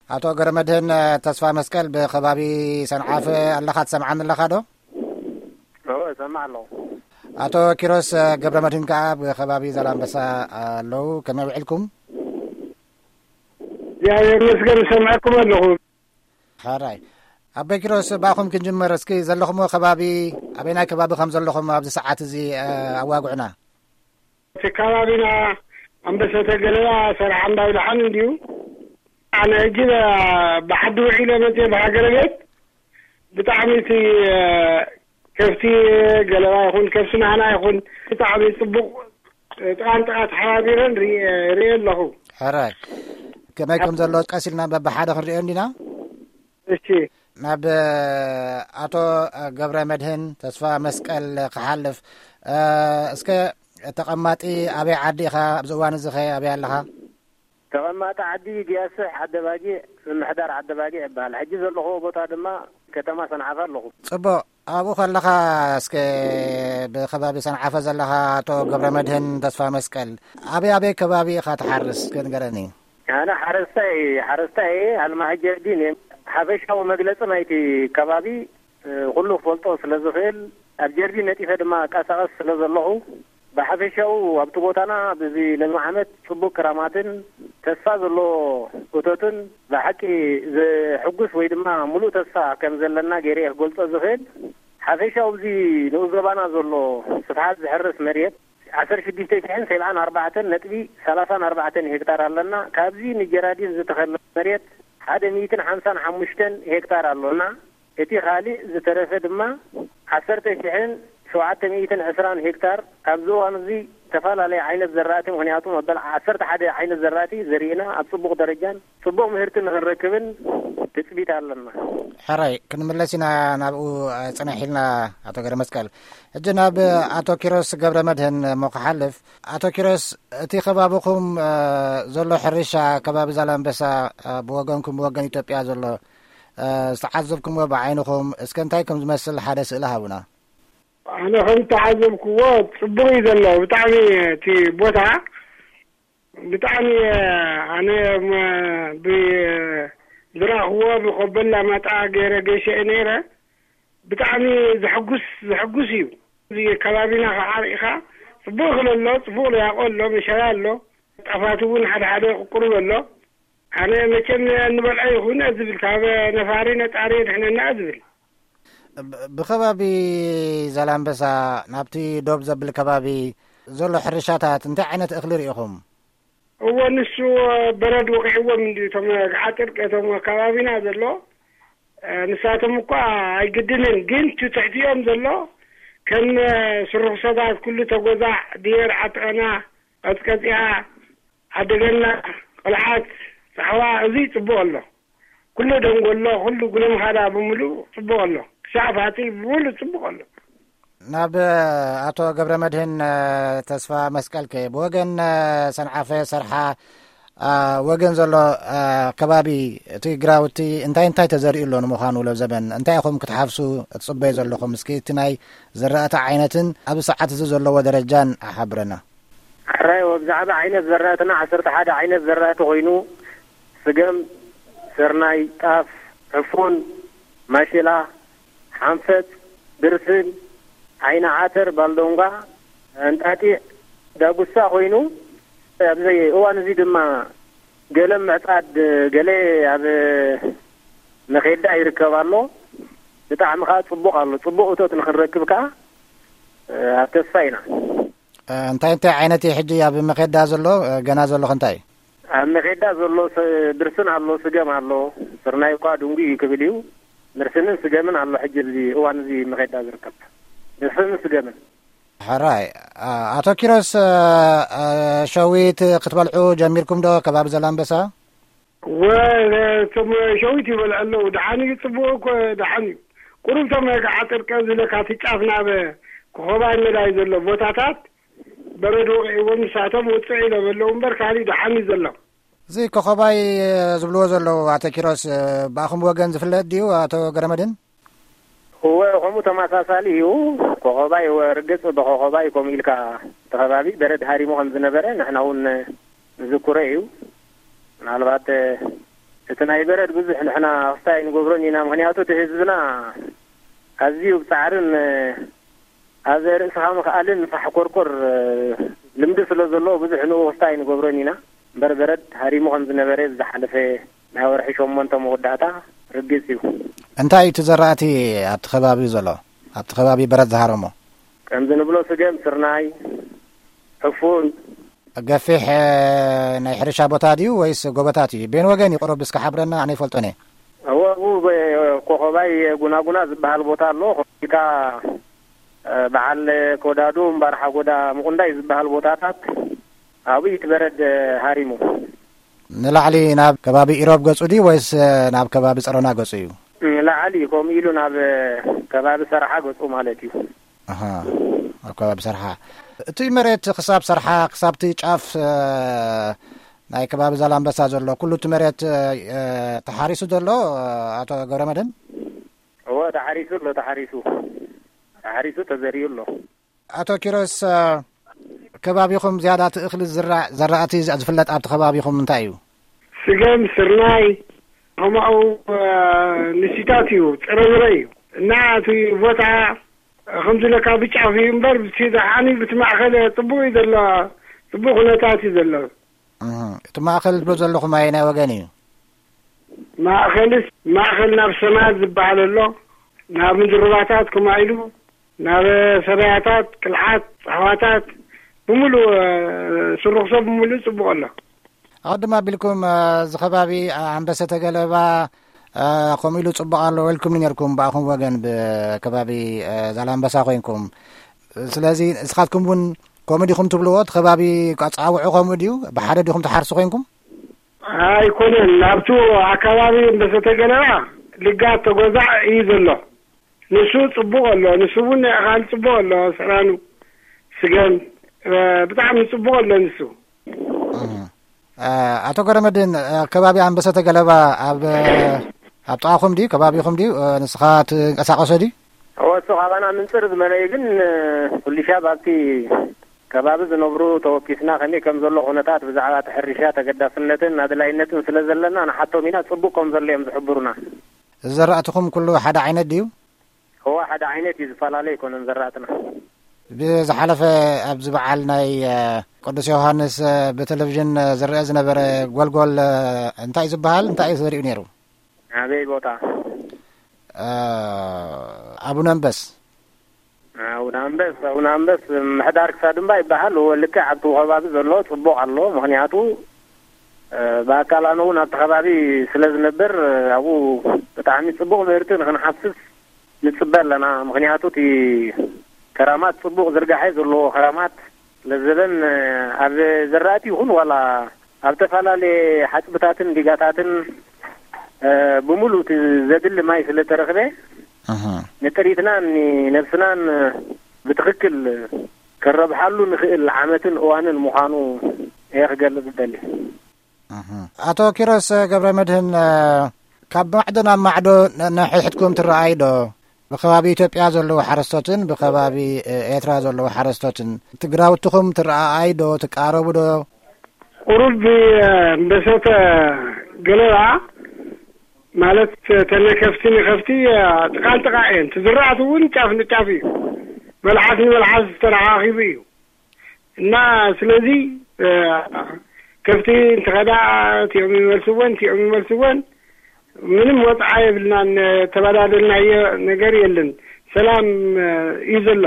ኣቶ ገረመድህን ተስፋ መስቀል፣ ብከባቢ ሰንዓፈ ኣለኻ? ትሰምዓኒ ኣለኻ ዶ? እዎ፣ እሰምዕ ኣለኹ። ኣቶ ኪሮስ ገብረ መድህን ከኣ ብከባቢ ዛላምበሳ ኣለዉ። ከመይ ውዒልኩም? እግዚኣብሔር ይመስገን፣ እሰምዐኩም ኣለኹ። ሕራይ። ኣቦይ ኪሮስ፣ ብኣኹም ክንጅምር እስኪ። ዘለኹምዎ ከባቢ፣ ኣበይናይ ከባቢ ከም ዘለኹም ኣብዚ ሰዓት እዚ፣ እ፣ ኣዋግዑና። እቲ ከባቢና ኣንበሰተ ገለባ፣ ሰርዓ እምባ ብልሓን እንድዩ። ኣነ ሕጂ ብ-፣ ብዓዲ ውዒለ መፅየ ብሃገረ ቤት። ብጣዕሚ እቲ፣ እ፣ ከብቲ ገለባ ይኹን፣ ከብቲ ናህና ይኹን፣ ብጣዕሚ ፅቡቕ ጥቓን ጥቓ ተሓባቢረን ርኢ-፣ ርእየ ኣለኹ። ሕራይ። ከመይ ከም ዘሎ ቀስ ኢልና በብሓደ ክንርእዮ እንዲና። እሺ። ናብ ኣቶ ገብረ መድህን ተስፋ መስቀል ክሓልፍ፣ እ፣ እስከ ተቐማጢ ኣበይ ዓዲ ኢኻ? ኣብዚ እዋን እዚ ኸ ኣበይ ኣለኻ? ተቐማጢ ዓዲ ግያስሕ ዓደ ባጊዕ፣ ምምሕዳር ዓደ ባጊዕ ይበሃል። ሕጂ ዘለኹዎ ቦታ ድማ ከተማ ሰንዓፈ ኣለኹ። ጽቡቕ። ኣብኡ ከለኻ እስከ ብከባቢ ሰንዓፈ ዘለኻ ኣቶ ገብረ መድህን ተስፋ መስቀል፣ ኣበይ ኣበይ ከባቢ ኢኻ ትሓርስ? እስከ ንገረኒ። ኣነ ሓረስታይ፣ ሓረስታይ ኣልማህ ጀርዲን እየ። ሓፈሻዊ መግለጺ ናይቲ ከባቢ፣ እ፣ ኩሉ ክፈልጦ ስለ ዝኽእል፣ ኣብ ጀርዲን ነጢፈ ድማ እቀሳቐስ ስለ ዘለኹ፣ ብሓፈሻኡ ኣብቲ ቦታና በዚ ለሚ ዓመት ጽቡቕ ክራማትን ተስፋ ዘለዎ እቶትን ብሓቂ ዘሕጉስ ወይ ድማ ምሉእ ተስፋ ከም ዘለና ገይረ እየ ክገልጾ ዝኽእል። ሓፈሻኡ ኣብዚ ንኡስ ዞባና ዘሎ ስፍሓት ዝሕረስ መሬት ዓሰርተ ሽዱሽተ ሽሕን ሰብዓን ኣርባዕተን ነጥቢ ሰላሳን ኣርባዕተን ሄክታር ኣለና። ካብዚ ንጀራዲን ዝተኸለ መሬት ሓደ ሚእትን ሓምሳን ሓሙሽተን ሄክታር ኣሎና። እቲ ካልእ ዝተረፈ ድማ ዓሰርተ ሽሕን ሸውዓተ ሚእትን ዕስራን ሄክታር። ኣብዚ እዋን እዚ ዝተፈላለየ ዓይነት ዘራእቲ፣ ምኽንያቱ መበል ዓሰርተ ሓደ ዓይነት ዘራእቲ ዘሪእና ኣብ ጽቡቕ ደረጃን ጽቡቕ ምህርቲ ንኽንረክብን ትጽቢት ኣለና። ሕራይ፣ ክንምለስ ኢና ናብኡ፣ ጽንሕ ኢልና ኣቶ ገረመስቀል። ሕጂ ናብ ኣቶ ኪሮስ ገብረ መድህን እሞ ክሓልፍ። ኣቶ ኪሮስ፣ እቲ ከባቢኹም፣ እ፣ ዘሎ ሕርሻ፣ ከባቢ ዛላምበሳ፣ እ፣ ብወገንኩም፣ ብወገን ኢትዮጵያ ዘሎ፣ እ፣ ዝተዓዘብኩምዎ ብዓይንኹም፣ እስከ እንታይ ከም ዝመስል ሓደ ስእሊ ሃቡና። ኣነ ከም ዝተዓዘብኩዎ ጽቡቕ እዩ ዘሎ። ብጣዕሚ እቲ ቦታ ብጣዕሚ፣ ኣነ፣ ም-፣ ብ-፣ ዝረኣኽዎ ብቆቦ ኣላማጣ ገይረ ገይሸ እየ ነይረ። ብጣዕሚ ዘሐጉስ፣ ዘሐጉስ እዩ። እዚ ከባቢና ከዓ ርኢኻ፣ ጽቡቕ እኽሊ ኣሎ፣ ጽቡቕ ለያቆ ኣሎ፣ መሸላ ኣሎ፣ ጣፋት እውን ሓደ ሓደ ቁሩብ ኣሎ። ኣነ መቸም እንበልዖ ይኹን ዝብል፣ ካብ ነፋሪ ነጣሪ የድሕነና ዝብል። ብ-፣ ብኸባቢ ዛላምበሳ ናብቲ ዶብ ዘብል ከባቢ ዘሎ ሕርሻታት እንታይ ዓይነት እኽሊ ርኢኹም? እወ፣ ንሱ በረድ ወቒዕዎም እንድዩ። እቶም ገዓጥርቂ፣ እቶም ከባቢና ዘሎ፣ እ፣ ንሳቶም እኳ ኣይግድንን፣ ግን እቲ ትሕቲኦም ዘሎ ከም፣ እ፣ ስሩኽሰታት፣ ኩሉ ተጎዛዕ፣ ድየር፣ ዓጥቐና፣ ቀጽቀጽያ፣ ዓደገና፣ ቆልዓት፣ ጻዕዋ፣ እዚ ጽቡቕ ኣሎ። ኩሉ ደንጎሎ፣ ኩሉ ጉለምኻዳ ብምሉእ ጽቡቕ ኣሎ። ክሳዕ ፋቲ ብምሉእ ጽቡቕ ኣሎ። ናብ ኣቶ ገብረ መድህን፣ እ፣ ተስፋ መስቀልከ፣ ብወገን፣ እ፣ ሰንዓፈ፣ ሰርሓ፣ እ፣ ወገን ዘሎ፣ እ፣ ከባቢ፣ እቲ ግራውቲ እንታይ እንታይ ተዘሪኡ ኣሎ ንምዃኑ? ለብ ዘበን እንታይ ኢኹም ክትሓፍሱ ትጽበዩ ዘለኹም? እስኪ እቲ ናይ ዝራእቲ ዓይነትን ኣብ ሰዓት እዚ ዘለዎ ደረጃን ሓብረና። ሕራይ፣ ብዛዕባ ዓይነት ዘራእትና ዓሰርተ ሓደ ዓይነት ዘራእቲ ኮይኑ፣ ስገም፣ ስርናይ፣ ጣፍ፣ ዕፉን፣ ማሽላ፣ ሓንፈጽ፣ ብርስን፣ ዓይኒ ዓተር፣ ባልዶንጓ፣ እንጣጢዕ፣ ዳጉሳ ኮይኑ፣ ኣብዚ እዋን እዚ ድማ ገለ ምዕጻድ፣ ገለ ኣብ መኼዳ ይርከብ ኣሎ። ብጣዕሚ ከኣ ጽቡቕ ኣሎ። ጽቡቕ እቶት ንኽንረክብ ከኣ ኣብ ተስፋ ኢና። እ፣ እንታይ እንታይ ዓይነት እዩ ሕጂ ኣብ መኼዳ ዘሎ? እ፣ ገና ዘሎ ከ እንታይ እዩ? ኣብ መኼዳ ዘሎ ስ-፣ ብርስን ኣሎ፣ ስገም ኣሎ። ስርናይ እኳ ድንጉ እዩ ክብል እዩ። ብርስንን ስገምን ኣሎ ሕጂ ኣብዚ እዋን እዚ መኼዳ ዝርከብ። ብርስንን ስገምን። ሕራይ። እ፣ ኣቶ ኪሮስ፣ እ፣ እ፣ ሸዊት ክትበልዑ ጀሚርኩም ዶ ከባቢ ዘላንበሳ? ወ-፣ እቶም ሸዊት ይበልዑ ኣለዉ። ደሓን እዩ፣ ጽቡቕ እኮ ደሓን እዩ። ቁሩብ እቶም ገዓጥርቂ ዝብለካ እቲ ጫፍ ናብ ኮኾባይ መዳይ ዘሎ ቦታታት በረድ ወቒዕዎም ንሳቶም ውጽዕ ኢሎም ኣለዉ እምበር፣ ካልእ ደሓን እዩ ዘሎ። እዚ ኮኾባይ ዝብልዎ ዘለዉ፣ ኣቶ ኪሮስ፣ ብኣኹም ወገን ዝፍለጥ ድዩ፣ ኣቶ ገረመድህን? እወ፣ ከምኡ ተመሳሳሊ እዩ። ኮኾባይ፣ እወ፣ ርግጽ፣ ብኮኾባይ ከምኡ ኢልካ እቲ ከባቢ በረድ ሃሪሙ ከም ዝነበረ ንሕና እውን ንዝክሮ እዩ። ምናልባት እቲ ናይ በረድ ብዙሕ ንሕና ክስታይ ንገብሮን ኢና። ምኽንያቱ እቲ ህዝብና ኣዝዩ ብጻዕርን፣ እ፣ ኣብ ርእስኻ ምኽኣልን ፋሕ ቆርቆር፣ እ፣ ልምዲ ስለ ዘለዎ ብዙሕ ንኡ ክስታይ ንገብሮን ኢና። እምበር በረድ ሃሪሙ ከም ዝነበረ ዝሓለፈ ናይ ወርሒ ሸሞንተ መወዳእታ ርግጽ እዩ። እንታይ እዩ እቲ ዘራእቲ ኣብቲ ከባቢ ዘሎ? ኣብቲ ከባቢ በረድ ዝሃረሞ? ከምዚ ንብሎ ስገም፣ ስርናይ፣ ዕፉን። ገፊሕ፣ እ፣ ናይ ሕርሻ ቦታ ድዩ ወይስ ጎቦታት እዩ? ቤን ወገን እዩ ቁሩብ እስከ ሓብረና፣ ኣነ ይፈልጦን እየ። እወ፣ ኣብኡ በ-፣ ኮኸባይ ጉናጉና ዝበሃል ቦታ ኣሎ። ኮቢልካ፣ እ፣ በዓል ኮዳዱ፣ እምባር ሓጎዳ፣ ምቁንዳይ ዝበሃል ቦታታት ኣብኡ እዩ እቲ በረድ፣ እ፣ ሃሪሙ። ንላዕሊ ናብ ከባቢ ኢሮብ ገጹ ድዩ ወይስ፣ እ፣ ናብ ከባቢ ጸሮና ገጹ እዩ? ንላዕሊ ከምኡ ኢሉ ናብ፣ እ፣ ከባቢ ሰርሓ ገጹ ማለት እዩ። ኣሃ፣ ኣብ ከባቢ ሰርሓ። እቲ መሬት ክሳብ ሰርሓ፣ ክሳብቲ ጫፍ፣ እ፣ ናይ ከባቢ ዛላምበሳ ዘሎ፣ ኩሉ እቲ መሬት፣ እ፣ እ፣ ተሓሪሱ ዘሎ፣ እ፣ ኣቶ ገብረመድህን? እወ፣ ተሓሪሱ ኣሎ፣ ተሓሪሱ። ተሓሪሱ ተዘሪኡ ኣሎ። ኣቶ ኪሮስ፣ እ፣ ከባቢኹም ዝያዳ እቲ እኽሊ ዝዝራእ ዘራእቲ ዝ-፣ ዝፍለጥ ኣብቲ ከባቢኹም እንታይ እዩ? ስገም፣ ስርናይ፣ ከምኡ፣ እ፣ ንሲታት እዩ፣ ጥረምረ እዩ። እና እቲ ቦታ ከምዚ ኢለካ ብጫፍ እዩ እምበር፣ ብቲ ደሓኒ ብቲ ማእከል ጽቡቕ እዩ ዘሎ፣ ጽቡቕ ኩነታት እዩ ዘሎ። እህ፣ እቲ ማእከል ትብሎ ዘለኹም ኣየናይ ወገን እዩ? ማእከልስ፣ ማእከል ናብ ሰማያት ዝበሃል ኣሎ፣ ናብ ምድሪ ሩባታት ከምኡ ኢሉ፣ ናብ ሰበያታት፣ ቅልዓት፣ ጻዕዋታት፣ ብምሉእ፣ እ፣ ስሩኽ ሰብ ብምሉእ ጽቡቕ ኣሎ። ኣቐድም ኣቢልኩም፣ እ፣ እዚ ከባቢ ኣንበሰተ ገለባ፣ እ፣ ከምኡ ኢሉ ጽቡቕ ኣሎ ኢልኩምኒ ነርኩም፣ ብኣኹም ወገን ብከባቢ፣ እ፣ ዛላምበሳ ኮይንኩም። ስለዚ ንስኻትኩም እውን ከምኡ ዲኹም ትብልዎ? እቲ ከባቢ ኣጸዋውዑ ከምኡ ድዩ? ብሓደ ዲኹም ትሓርሱ ኮይንኩም? ኣይኮነን። ኣብቲ ኣከባቢ ኣንበሰተ ገለባ ልጋት ተጎዛዕ እዩ ዘሎ። ንሱ ጽቡቕ ኣሎ። ንሱ እውን ናይ ኣኻል ጽቡቕ ኣሎ። ስራኑ፣ ስገም፣ እ፣ ብጣዕሚ ጽቡቕ ኣሎ ንሱ። እህ። እ፣ ኣቶ ገረመድህን፣ እ፣ ከባቢ ኣንበሰተ ገለባ ኣብ፣ እ፣ ኣብ ጥቓኹም ድዩ? ከባቢኹም ድዩ? እ፣ ንስኻ ትንቀሳቐሶ ድዩ? እወ፣ እሱ ካባና ምንጽር ዝበለ እዩ፣ ግን፣ እ፣ ኩሉ ሻብ ኣብቲ ከባቢ ዝነብሩ ተወኪስና ከመይ ከም ዘሎ ኩነታት ብዛዕባ እቲ ሕርሻ ተገዳስነትን ኣድላይነትን ስለ ዘለና ንሓቶም ኢና፣ ጽቡቕ ከም ዘሎ እዮም ዝሕብሩና። እዚ ዘራእትኹም ኩሉ ሓደ ዓይነት ድዩ? እወ፣ ሓደ ዓይነት እዩ፣ ዝፈላለ ኣይኮነን ዘራእትና። ብዝሓለፈ ኣብዚ በዓል ናይ፣ እ፣ ቅዱስ ዮሃንስ፣ እ፣ ብቴሌቪዥን፣ እ፣ ዝረአ ዝነበረ ጎልጎል፣ እ፣ እንታይ እዩ ዝበሃል? እንታይ እዩ ዘሪኡ ነይሩ? ኣበይ ቦታ? እ፣ ኣቡነ ኣንበስ። ኣቡነ ኣንበስ፣ ኣቡነ ኣንበስ ምሕዳር ክሳድ እምባ ይበሃል። እወ፣ ልክዕ ኣብቲ ከባቢ ዘሎ ጽቡቕ ኣሎ። ምኽንያቱ፣ እ፣ ብኣካል ኣነ እውን ኣብቲ ከባቢ ስለ ዝነብር፣ እ፣ ኣብኡ ብጣዕሚ ጽቡቕ ምህርቲ ንኽንሓፍስ ንጽበ ኣለና። ምኽንያቱ እቲ ከራማት ጽቡቕ ዝርጋሐ ዘለዎ ከራማት ለዘበን፣ እ፣ ኣብ ዘራእቲ ይኹን ዋላ ኣብ ዝተፈላለየ ሓጽብታትን ዲጋታትን፣ እ፣ ብምሉእ እቲ ዘድሊ ማይ ስለ ተረኽበ፣ እህ። ንጥሪትናን ንነብስናን ብትኽክል ከረብሓሉ ንኽእል ዓመትን እዋንን ምዃኑ እየ ክገልጽ ዝደሊ። እህ። ኣቶ ኪሮስ ገብረመድህን፣ እ፣ ካብ ማዕዶ ናብ ማዕዶ ነ-፣ ነሒሕትኩም ትረኣይ ዶ? ብከባቢ ኢትዮጵያ ዘለዉ ሓረስቶትን ብከባቢ፣ እ፣ ኤርትራ ዘለዉ ሓረስቶትን እቲ ግራውትኹም ትረኣኣይ ዶ? ትቃረቡ ዶ? ቁሩብ፣ እ፣ ኣንበሰተ ገለባ ማለት፣ ተነ ከፍቲ ንከፍቲ፣ እ፣ ጥቓ ንጥቓ እየን። እቲ ዝራእቲ እውን ጫፍ ንጫፍ እዩ። መልሓስ ንመልሓስ ዝተረኻኺቡ እዩ። እና ስለዚ፣ እ፣ ከፍቲ እንትኸዳ እቲኦም ይመልስወን፣ እቲኦም ይመልስወን። ምንም ወጽዓ የብልናን። ተበዳደልናዮ ነገር የለን። ሰላም፣ እ፣ እዩ ዘሎ።